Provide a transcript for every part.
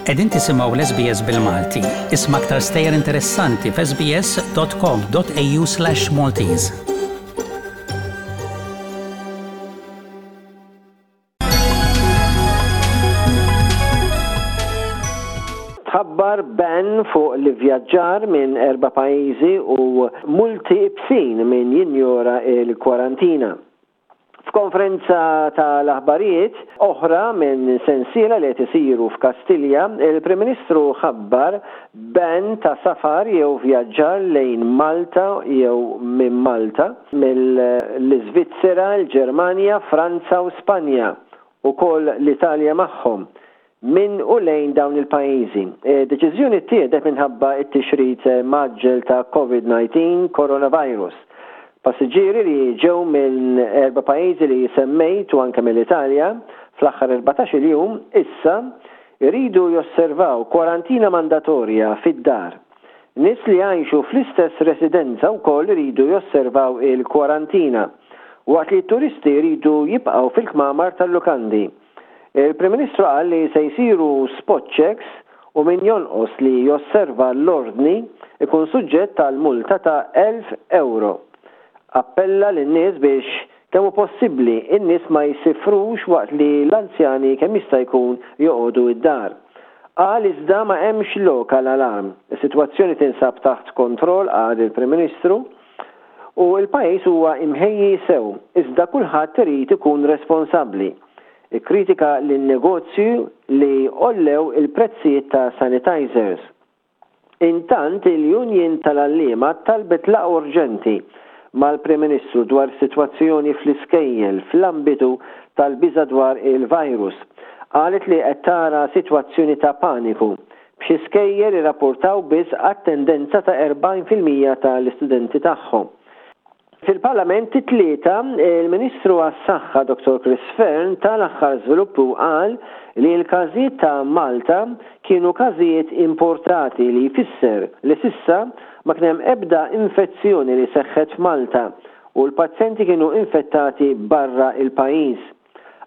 Qegħdin tisimgħu l-SBS bil-Malti. Isma' aktar stejjer interessanti f'sbs.com.au/maltese. Tħabbar ban fuq l-ivvjaġġar minn erba' pajjiżi u multi ibsin min jinjora l-kwarantina. F'konferenza tal-aħbarijiet oħra minn sensiela li qed isiru f'Kastilja, il-Prim Ministru ħabbar ban ta' safar jew vjaġġar lejn Malta jew minn Malta, mill-Iżvizzera, il-Ġermanja, Franza u Spanja, ukoll l-Italja magħhom, minn u lejn dawn il-pajjiżi. Id-deċiżjoni ttieħdet minħabba t-tixrid mgħaġġel ta' Covid-19, coronavirus. Passiġġieri li ġew minn erba' pajjiżi li semmejt u anke mill-Italja fl-aħħar 14-il jum issa jridu josservaw kwarantina mandatorja fid-dar. Nies li jgħixu fl-istess residenza wkoll iridu josservaw il-kwarantina, waqt li t-turisti jridu jibqgħu fil-kmamar tal-lukandi. Il-Prim Ministru qal li se jsiru spot checks u min jonqos li josserva l-ordni jkun suġġett għal multa ta' 1,000 ewro. Appella lin-nies biex kemm hu possibbli n-nies ma jsifrux waqt li l-anzjani kemm jista' jkun joqogħdu d-dar. Qal iżda ma hemmx lok għal alarm. Is-sitwazzjoni tinsab taħt kontroll qal il-Prim Ministru u l-pajjiż huwa imħejji sew iżda kulħadd irid ikun responsabbli. Ikkritika lin-negozji li għollew il-prezzijiet ta' sanitizers. Intant, il-Union tal-Għalliema talbet laqgħa urġenti mal-Prim Ministru dwar is-sitwazzjoni fl-iskejjel fl-ambitu tal-biża' dwar il-virus. Qalet li qed tara sitwazzjoni ta' paniku, b'xi skejjel irrapportaw biss attendenza ta' 40% tal-istudenti tagħhom. Fil-Parlament it-Tlieta, il-Ministru għas-Saħħa Dottor Chris Fearne ta l-aħħar żviluppi u qal li l-każijiet ta' Malta kienu każijiet importati li jfisser li s'issa ma kien hemm ebda infezzjoni li seħħet f'Malta u l-pazjenti kienu infettati barra l-pajjiż.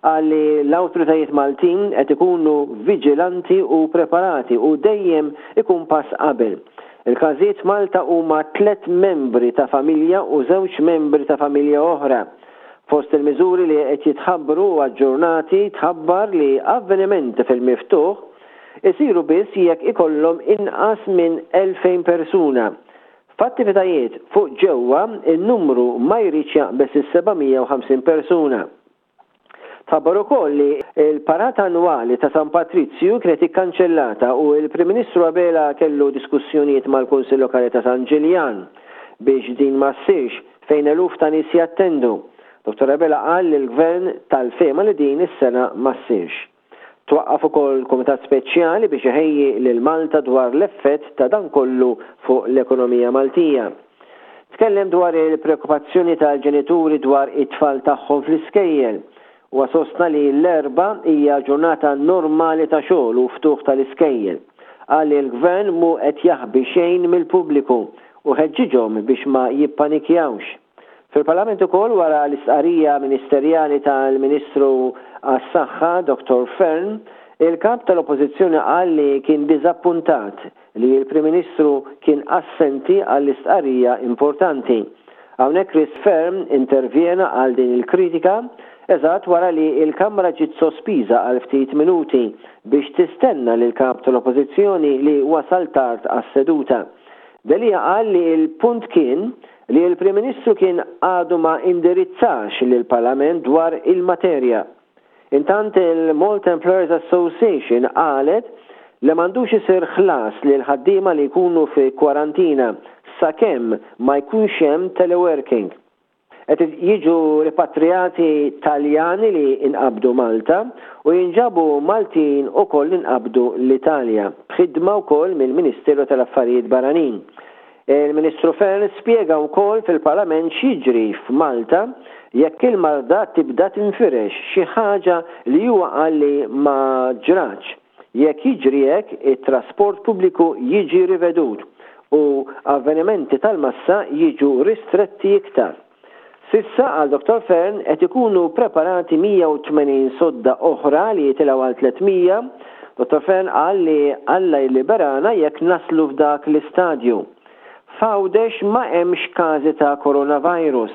Qal li l-awtoritajiet Maltin qed ikunu viġilanti u preparati u dejjem ikun pass qabel. Il-każijiet f'Malta huma tlett membri ta' familja u żewġ membri ta' familja oħra. Fost il-miżuri li qed jitħabbru u aġġornati tħabbar li avvenimenti fil-miftuħ isiru biss jekk ikollhom inqas minn 2,000 persuna. F'attivitajiet fuq ġewwa, in-numru ma jridx jaqbeż is-750 persuna. Tħabbar ukoll li l-parata annwali ta' San Patrizju kienet ikkanċellata u l-Prim Ministru Abela kellu diskussjonijiet mal-Kunsill Lokali ta' San Ġiljan biex din ma ssirx fejn eluf ta' nies jattendu. Dottor Abela qal li l-Gvern tal-fehma li din is-sena ma ssirx. Twaqqaf ukoll kumitat speċjali biex iħejji lil Malta dwar l-effett ta' dan kollu fuq l-ekonomija Maltija. Tkellem dwar il-preokkupazzjoni tal-ġenituri dwar it-tfal tagħhom fl-iskejjel. Huwa sostna li l-Erbgħa hija ġurnata normali ta' xogħol u ftuħ tal-iskejjel. Qal li l-Gvern mhu qed jaħbi xejn mill-pubbliku u ħeġġiġhom biex ma jippanikjawx. Fil-Parlament ukoll wara l-istqarrija ministerjali tal-Ministru għas-Saħħa Dottor Fearne, il-Kap tal-Oppożizzjoni qal li kien diżappuntat li l-Prim Ministru kien assenti għall-istqarrija importanti. Hawnhekk Chris Fearne intervjena għal din il-kritika eżatt wara li l-Kamra ġiet sospiża għal ftit minuti biex tistenna lill-Kap tal-Oppożizzjoni li wasal tard għas-seduta. Delia qal li l-punt kien li l-Prim Ministru kien għadu ma indirizzax lill-Parlament dwar il-materja. Intant il-Malta Employers Association qalet li m'għandux isir ħlas lil ħaddiema li jkunu fi kwarantina sakemm ma jkunx hemm teleworking. Qed jiġu ripatrijati Taljani li nqabdu Malta u jinġabu Maltin ukoll li nqabdu l-Italja, b'ħidma wkoll mill-Ministeru tal-Affarijiet Barranin. Il-Ministru Fearne spjega wkoll fil-Parlament x'jiġri f'Malta jekk il-marda tibda tinfirex, xi ħaġa li huwa qal li ma ġratx. Jekk jiġri hekk, it-trasport pubbliku jiġi rivedut u avvenimenti tal-massa jiġu ristretti iktar. S'issa, qal Dottor Fearne, qed ikunu preparati 180 sodda oħra li jitilgħu għal 300. Dottor Fearne qal li Alla jilliberana jekk naslu f'dak l-istadju. F'Għawdex ma hemmx każi ta' coronavirus.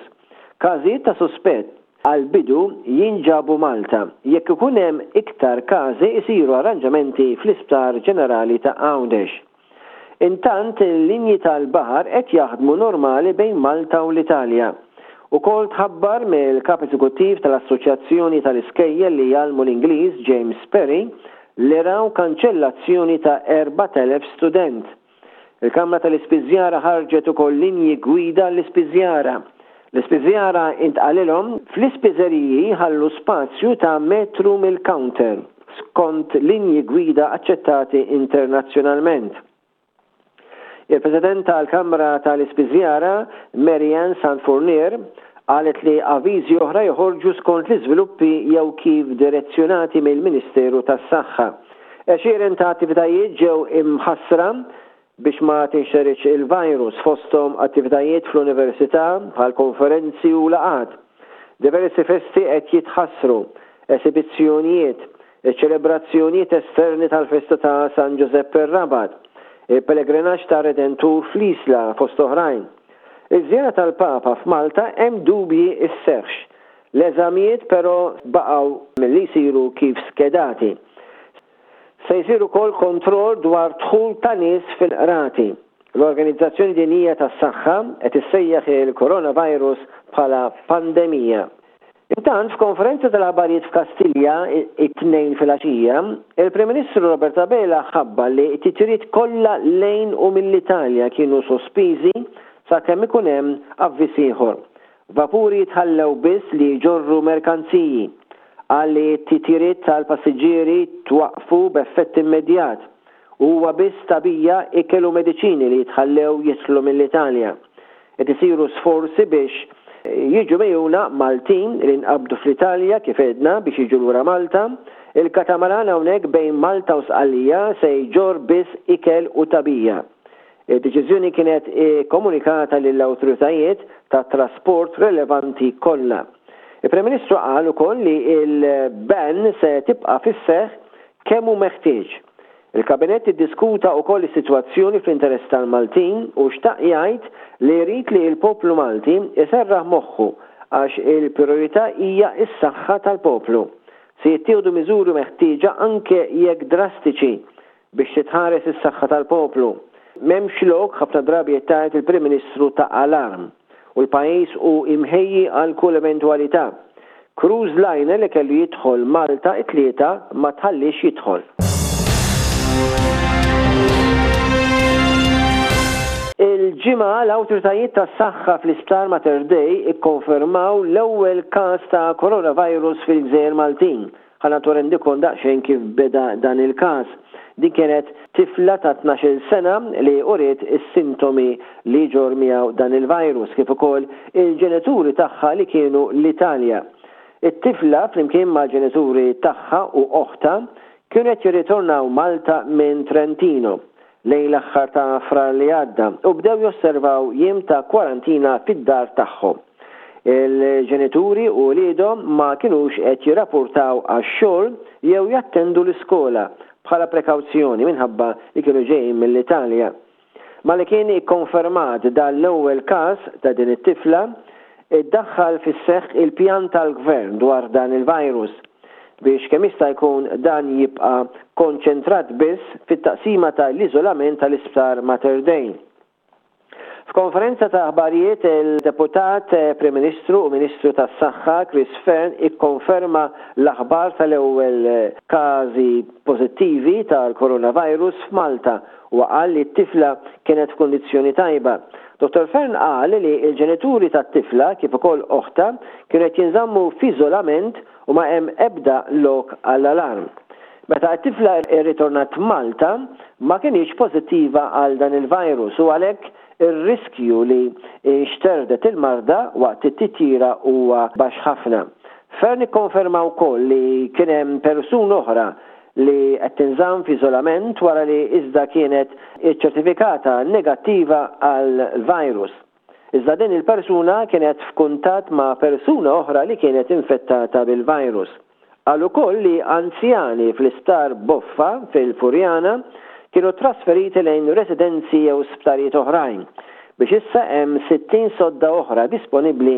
Każijiet ta' suspett għall-bidu jinġabu Malta. Jekk ikun hemm iktar każi jsiru arranġamenti fl-Isptar Ġenerali ta' Għawdex. Intant il-linji tal-baħar qed jaħdmu normali bejn Malta u l-Italja. Ukoll tħabbar mill-Kap Eżekuttiv tal-Assoċjazzjoni tal-Iskejjel li jgħallmu l-Ingliż James Perry li raw kanċellazzjoni ta' 4,000 student. Il-Kamra tal-Ispiżjara ħarġet ukoll linji gwida għall-ispiżjara. L-ispiżjara intqalilhom fl-ispiżeriji jħallu spazju ta' metru mill-counter, skont linji gwida aċċettati internazzjonalment. Il-President tal-Kamra tal-Ispiżjara, Mary Ann Sant Fournier, qalet li avviżi oħra joħorġu skont l-iżviluppi jew kif direzzjonati mill-Ministeru tas-Saħħa. Għexieren ta' attivitajiet ġew imħassra biex ma tinxteridx il-virus, fosthom attivitajiet fl-università bħal konferenzi u laqgħat. Diversi festi qed jitħassru, esibizzjonijiet, iċ-ċelebrazzjonijiet esterni tal-festa ta' San Ġużepp ir-Rabat, il-pellegrinaġġ tar-Redentur fl-Isla fost oħrajn. Iż-żjara tal-Papa f'Malta hemm dubji sseħħx. L-eżamijiet però baqgħu milli jsiru kif skedati. Se jsir ukoll kontroll dwar dħul ta' nies fil-qrati. L-Organizzazzjoni Dinjija tas-Saħħa qed issejjaħ il-coronavirus bħala pandemija. Intant, f'konferenza tal-aħbarijiet f'Kastilja it-Tnejn filgħaxija, il-Prim Ministru Robert Abela ħabbar li t-titjiriet kollha lejn u mill-Italja kienu sospiżi sakemm ikun hemm avviż ieħor. Vapuri jitħallew biss li jġorru merkanziji. Qal li t-titjiriet tal-passiġġieri twaqqfu b'effett immedjat u huwa biss tagħbija, ikel u mediċini li jitħallew jidħlu mill-Italja. Qed isiru sforzi biex jiġu megħjuna Maltin li nqabdu fl-Italja kif għedna biex jiġu lura Malta. Il-katamaran hawnhekk bejn Malta u Sqallija se jġorr biss ikel u tagħbija. Id-deċiżjoni kienet ikkomunikata lill-awtoritajiet tat-trasport relevanti kollha. Il-Prim Ministru qal ukoll li l-ban se tibqa' fis-seħħ kemm hu meħtieġ. Il-Kabinett iddiskuta ukoll is-sitwazzjoni fl-interess tal-Maltin u xtaq jgħid li jrid li l-poplu Malti jserraħ moħħu għax il-prijorità hija s-saħħa tal-poplu. Se jittieħdu miżuri meħtieġa anke jekk drastiċi Biex titħares is-saħħa tal-poplu. M'hemmx lok, ħafna drabi qed tgħid il-Prim Ministru ta' alarm. U l-pajjiż hu imħejji għal kull eventwalità. Cruise liner li kellu jidħol Malta it-Tlieta ma tħalliex jidħol. Il-Ġimgħa l-awtoritajiet tas-saħħa fl-Isptar Mater Dei ikkonfermaw l-ewwel każ ta' coronavirus fil-Gżejjer Maltin. Ħa nagħtu rendikont daqsxejn kif beda dan il-każ. Din kienet tifla ta' 12-il sena li uriet is-sintomi li jġorr miegħu dan il-virus, kif ukoll il-ġenituri tagħha li kienu l-Italja. It-tifla flimkien mal-ġenituri tagħha u oħtha kienu qed jirritornaw Malta minn Trentino lejn l-aħħar ta' Frar li għadda u bdew josservaw jiem ta' kwarantina fid-dar tagħhom. Il-ġenituri u uliedhom ma kinux qed jirrapurtaw għax-xogħol jew jattendu l-iskola bħala prekawzjoni minħabba li kienu ġejjin mill-Italja. Malli kien ikkonfermat dan l-ewwel każ ta' din it-tifla, iddaħħal fis-seħħ il-pjan tal-Gvern dwar dan il-virus biex kemm jista' jkun dan jibqa' konċentrat biss fit-taqsima ta' l-iżolament tal-Isptar Mater Dei. F'konferenza ta' aħbarijiet il-Deputat Prim Ministru u Ministru tas-Saħħa Chris Fearne ikkonferma l-aħbar tal-ewwel każi pożittivi tal-coronavirus f'Malta. Huwa qal li t-tifla kienet f'kundizzjoni tajba. Dottor Fearne qal li l-ġenituri tat-tifla kif ukoll oħtha kienu qed jinżammu f'iżolament u ma hemm ebda lok għall-alarm. Meta t-tifla rritornat Malta ma kinitx pożittiva għal dan il-virus u għalhekk ir-riskju li nxterdet il-marda waqt it-titjira huwa baxx ħafna. Fearne ikkonferma wkoll li kien hemm persuna oħra li qed tinżamm f'iżolament wara li iżda kienet iċċertifikata negattiva għall-virus. Iżda din il-persuna kienet f'kuntatt ma' persuna oħra li kienet infettata bil-virus. Qal ukoll li anzjani fl-Isptar Boffa fil-Furjana kienu trasferiti lejn residenzi jew sptarijiet oħrajn biex issa hemm 60 sodda oħra disponibbli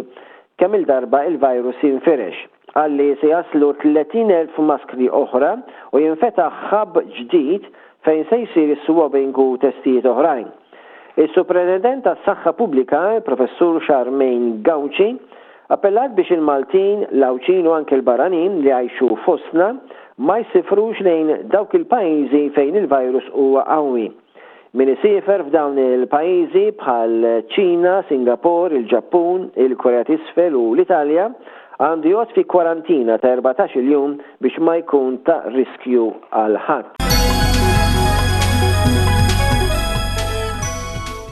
kemm-il darba il-virus jinfirex. Qal li se jaslu 30,000 maskri oħra u jinfetaħ hub ġdid fejn se jsir is-swabbing u testijiet oħrajn. Is-Supretendent tas-Saħħa Pubblika, il-Professur Charmaine Gauci, appellat biex il-Maltin, l-Għawdxin u anke l-barranin li jgħixu fostna ma jsifrux lejn dawk il-pajjiżi fejn il-virus huwa qawwi. Min isiefer f'dawn il-pajjiżi bħal Ċina, Singapore, il-Ġappun, il-Korea t'Isfel u l-Italja għandu joqgħod fi kwarantina ta' 14-il jum biex ma jkun ta' riskju għal ħadd.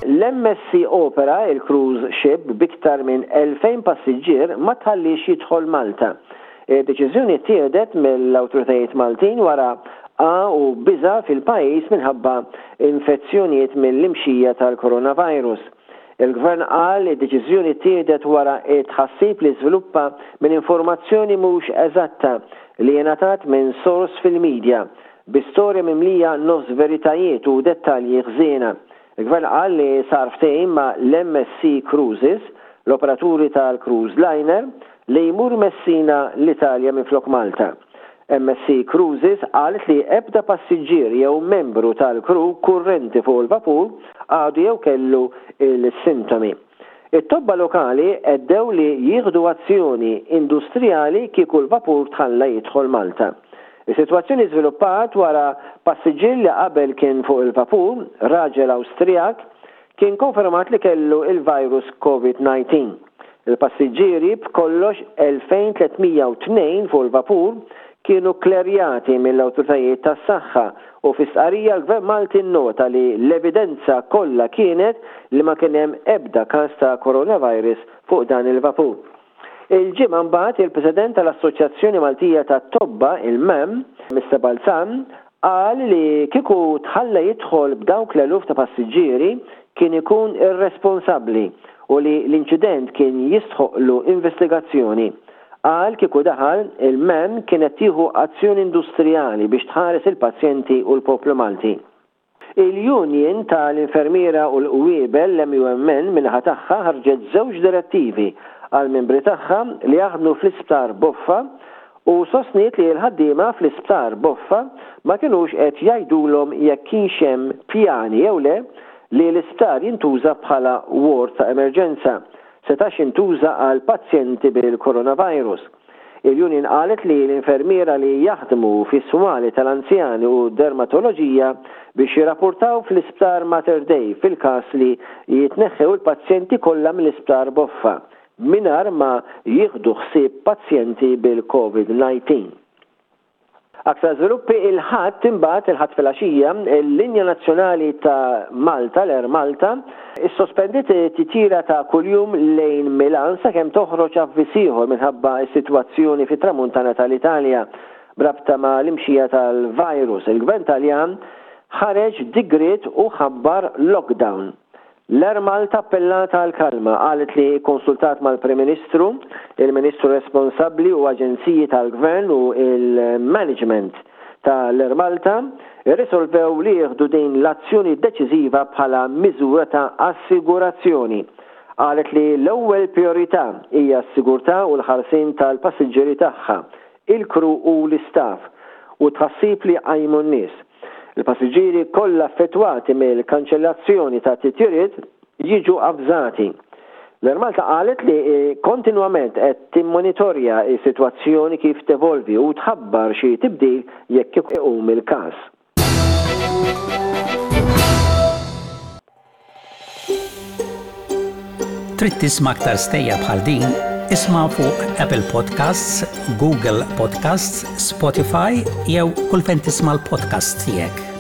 L-MSC Opera, il-cruise ship b'iktar minn 2,000 passiġġier ma tħalliex jidħol Malta. Id-deċiżjoni ttieħdet mill-awtoritajiet Maltin wara għa u biża' fil-pajjiż minħabba infezzjonijiet mill-imxija tal-coronavirus. Il-Gvern qal li d-deċiżjoni ttieħdet wara t-tħassib li żviluppa minn informazzjoni mhux eżatta li ingħatat minn sors fil-media, bi storja mimlija nofs veritajiet u dettalji ħżiena. Il-Gvern qal li sar ftehim ma' l-MSC Cruises, l-operaturi tal-cruise liner, li jmur Messina l-Italja minflok Malta. MSC Cruises qalet li ebda passiġġier jew membru tal-crew kurrenti fuq il-vapur għadu jew kellu l-sintomi. It-tobba lokali għeddew li jieħdu azzjoni industrijali kieku l-vapur tħalla jidħol Malta. Is-sitwazzjoni żviluppat wara passiġġier li qabel kien fuq il-vapur, raġel Awstrijak, kien konfermat li kellu il-virus Covid-19. Il-passiġġieri, b'kollox 2,302 fuq il-vapur, kienu kklerjati mill-awtoritajiet tas-saħħa u fi stqarrija l-Gvern Malti nnota li l-evidenza kollha kienet li ma kien hemm ebda każ ta' coronavirus fuq dan il-vapur. Il-Ġimgħa mbagħad il-President tal-Assoċjazzjoni Maltija tat-Tobba, il-MAM, Mister Balzan, qal li kieku tħalla jidħol b'dawk l-eluf ta' passiġġieri kien ikun irresponsabbli u li l-inċident kien jistħoqqlu investigazzjoni. Qal kieku daħal, il-MAM kienet tieħu azzjoni industrijali biex tħares il-pazjenti u l-poplu Malti. Il-Union ta' l-Infermiera u l-Qwiebel, l-MUMN, min-naħa tagħha ħarġet żewġ direttivi għall-membri tagħha li jaħdmu fl-Isptar Boffa u sostniet li l-ħaddiema fl-Isptar Boffa ma kinux qed jgħidulhom jekk kienx hemm pjani jew le li l-isptar jintuża bħala ward ta' emerġenza setax jintuża għal pazjenti bil-coronavirus. Il-union qalet li l-infermiera li jaħdmu fis-swali tal-anzjani u dermatoloġija biex jirrapportaw fl-Isptar Mater Dei fil-każ li jitneħħew il-pazjenti kollha mill-Isptar Boffa mingħajr ma jieħdu ħsieb pazjenti bil-Covid 19. Aktar żviluppi Il-Ħadd imbagħad, il-Ħadd filgħaxija, il-linja nazzjonali ta' Malta, l-Air Malta, issospendiet titjira ta' kuljum lejn Milan sakemm toħroġ avviż ieħor minħabba s-sitwazzjoni fit-Tramuntana tal-Italja b'rabta ma' l-imxija tal-virus. Il-Gvern Taljan ħareġ digriet u ħabbar lockdown. L-Air Malta appellat għall-kalma, qalet li kkonsultat mal-Prim Ministru, il-Ministru responsabbli u aġenziji tal-Gvern u l-management ta' l-Air Malta rrisolvew li jieħdu din l-azzjoni deċiżiva bħala miżura ta' assigurazzjoni. Qalet li l-ewwel prijorità hija s-sigurtà u l-ħarsien tal-passiġġieri tagħha, il-crew u l-istaff, u t-tħassib li qajmu n-nies. Il-passiġġieri kollha affettwati mill-kanċellazzjoni ta' titjiriet jiġu avżati. L-Air Malta qalet li kontinwament qed timmonitorja s-sitwazzjoni kif tevolvi u tħabbar xi tibdil jekk iqum il-każ. Trid tisma' aktar stejjer bħal din? Isma' fuq Apple Podcasts, Google Podcasts, Spotify jew kull fejn tisma' l-podcasts tiegħek.